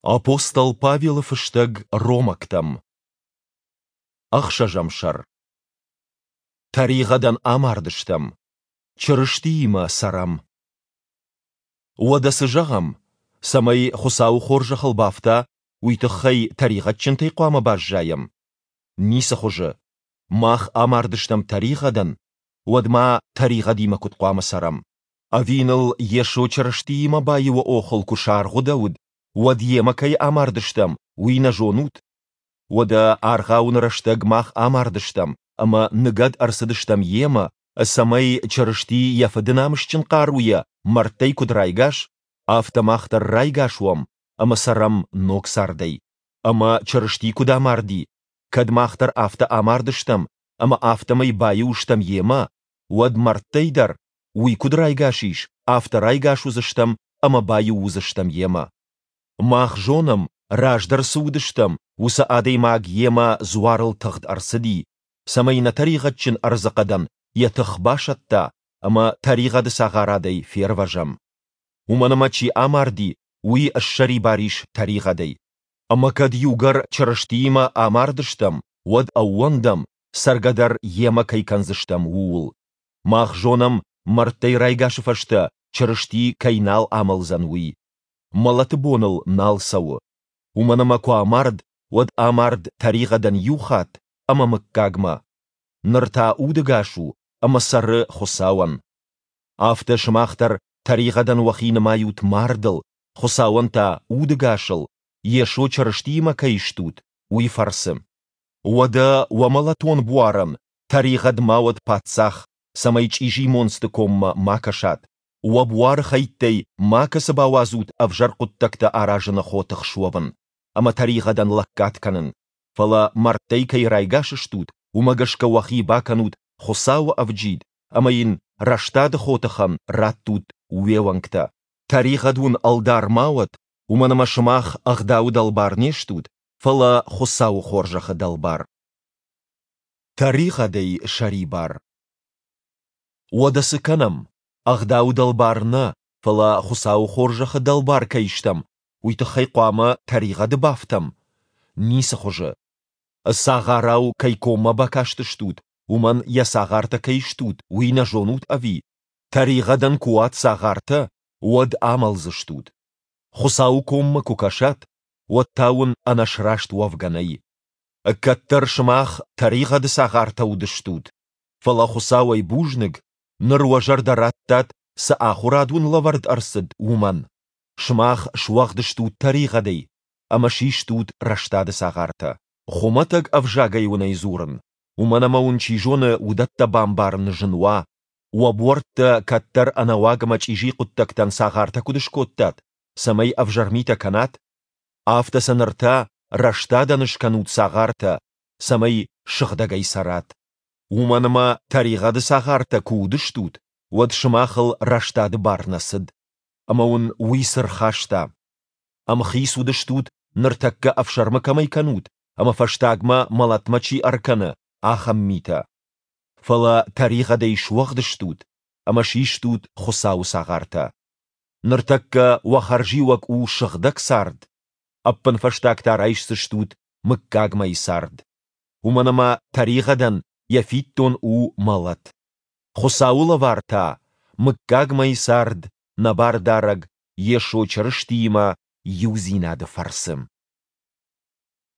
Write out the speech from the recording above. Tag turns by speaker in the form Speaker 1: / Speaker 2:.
Speaker 1: Апостол Павелы фыстӕг Ромӕгтӕм. Ӕхсӕзӕм сӕр. Тӕригъӕдӕн амардыстӕм, Чырыстиимӕ цӕрӕм. Уӕдӕ цы зӕгъӕм? Цӕмӕй Хуыцауы хорзӕхыл бафта, уый тыххӕй тӕригъӕдджынтӕй хъуамӕ баззайӕм? Ницы хуызы. Мах амардыстӕм тӕригъӕдӕн, уӕд ма тӕригъӕдимӕ куыд хъуамӕ цӕрӕм? Ӕви ныл Йесо Чырыстиимӕ баиуы охыл куы саргъуыдӕуыд, уӕд йемӕ кӕй амардыстӕм, уый нӕ зонут? Уӕдӕ аргъауыны рӕстӕг мах амардыстӕм ӕмӕ ныгӕд ӕрцыдыстӕм йемӕ, цӕмӕй Чырысти йӕ Фыды намысджын хъаруйӕ мӕрдтӕй куыд райгас, афтӕ мах дӕр райгас уӕм ӕмӕ цӕрӕм ног цардӕй. Ӕмӕ Чырысти куыд амарди, кӕд мах дӕр афтӕ амардыстӕм ӕмӕ афтӕмӕй баиу стӕм йемӕ, уӕд мӕрдтӕй дӕр, уый куыд райгас ис, афтӕ райгас уыдзыстӕм ӕмӕ баиу уыдзыстӕм йемӕ. Мах зонӕм, раздӕр цы уыдыстӕм, уыцы адӕймаг йемӕ дзуарыл тыгъд ӕрцыди, цӕмӕй нӕ тӕригъӕдджын ӕрдзыхъӕдӕн йӕ тых басӕтта ӕмӕ тӕригъӕды цагъарадӕй фервӕзӕм. Уымӕн ӕмӕ чи амарди, уый ссӕрибар ис тӕригъӕдӕй. Ӕмӕ кӕд иугӕр Чырыстиимӕ амардыстӕм, уӕд ӕууӕндӕм, цӕргӕ дӕр йемӕ кӕй кӕндзыстӕм, ууыл. Мах зонӕм, мӕрдтӕй райгасы фӕстӕ Чырысти кӕй нал амӕлдзӕн, уый. Мӕлӕты бон ыл нал цӕуы. Уымӕн ӕмӕ куы амард, уӕд амард тӕригъӕдӕн иу хатт ӕмӕ мыггагмӕ. Ныр та удӕгас у ӕмӕ цӕры Хуыцауӕн. Афтӕ сымах дӕр тӕригъӕдӕн уӕхи нымайут мардыл, Хуыцауӕн та удӕгасыл, Йесо Чырыстиимӕ кӕй стут, уый фӕрцы. Уӕдӕ уӕ мӕлӕтон буарӕн тӕригъӕд ма уӕд паддзах, цӕмӕй чъизи монцты коммӕ ма кӕсат, уӕ буары хӕйттӕй макӕцы бауадзут ӕвзӕр хъуыддӕгтӕ аразыны хотых суӕвын ӕмӕ тӕригъӕдӕн лӕггад кӕнын, фӕлӕ мӕрдтӕй кӕй райгас стут, уымӕ гӕсгӕ уӕхи бакӕнут Хуыцауы ӕвджид ӕмӕ йын рӕстады хотыхӕн раттут уе уӕнгтӕ. Тӕригъӕд уын ӕлдар ма уӕд, уымӕн ӕмӕ сымах Ӕгъдауы дӕлбар не стут, фӕлӕ Хуыцауы хорзӕхы дӕлбар. Тӕригъӕдӕй сӕрибар. Уӕдӕ цы кӕнӕм? Ӕгъдауы дӕлбар нӕ, фӕлӕ Хуыцауы хорзӕхы дӕлбар кӕй стӕм, уый тыххӕй хъуамӕ тӕригъӕды бафтӕм? Ницы хуызы. Цагъарау кӕй коммӕ бакастыстут, уымӕн йӕ цагъартӕ кӕй стут, уый нӕ зонут ӕви? Тӕригъӕдӕн куы уат цагъартӕ, уӕд амӕлдзыстут. Хуыцауы коммӕ куы кӕсат, уӕд та уын ӕнӕсраст уӕвгӕ нӕй. Кӕддӕр сымах тӕригъӕды цагъартӕ уыдыстут, фӕлӕ Хуыцауӕй бузныг, ныр уӕ зӕрдӕ радтат, цы ахуырад уын лӕвӕрд ӕрцыд, уымӕн. Сымах суӕгъд стут тӕригъӕдӕй ӕмӕ систут рӕстады цагъартӕ. Хуымӕтӕг ӕвзагӕй уын ӕй дзурын, уымӕн ӕмӕ уын чи зоны уыдӕттӕ бамбарын зын уа, уӕ буӕрттӕ кӕддӕр ӕнӕуаг ӕмӕ чъизи хъуыддӕгтӕн цагъартӕ куыд скодтат, цӕмӕй ӕвзӕр митӕ кӕнат, афтӕ сӕ ныр та рӕстадӕн скӕнут цагъартӕ, цӕмӕй сыгъдӕгӕй цӕрат. Уымӕн ӕмӕ тӕригъӕды цагъартӕ куы уыдыстут, уӕд сымахыл рӕстады бар нӕ цыд. Ӕмӕ уын уый цы рхаста? Ӕмхиц уыдыстут, ныртӕккӕ ӕфсӕрмы кӕмӕй кӕнут ӕмӕ фӕстагмӕ мӕлӕтмӕ чи ӕркӕны, ахӕм митӕ. Фӕлӕ тӕригъӕдӕй суӕгъд стут ӕмӕ систут Хуыцауы цагъартӕ. Ныртӕккӕ уӕ хӕрзиуӕг у сыгъдӕг цард, ӕппынфӕстаг та райсдзыстут мыггагмӕйы цард. Уымӕн ӕмӕ тӕригъӕдӕн йӕ фиддон у мӕлӕт. Хуыцауы лӕвар та мыггагмӕйы цард нӕ Бардарӕг Йесо Чырыстиимӕ иудзинады фӕрцы.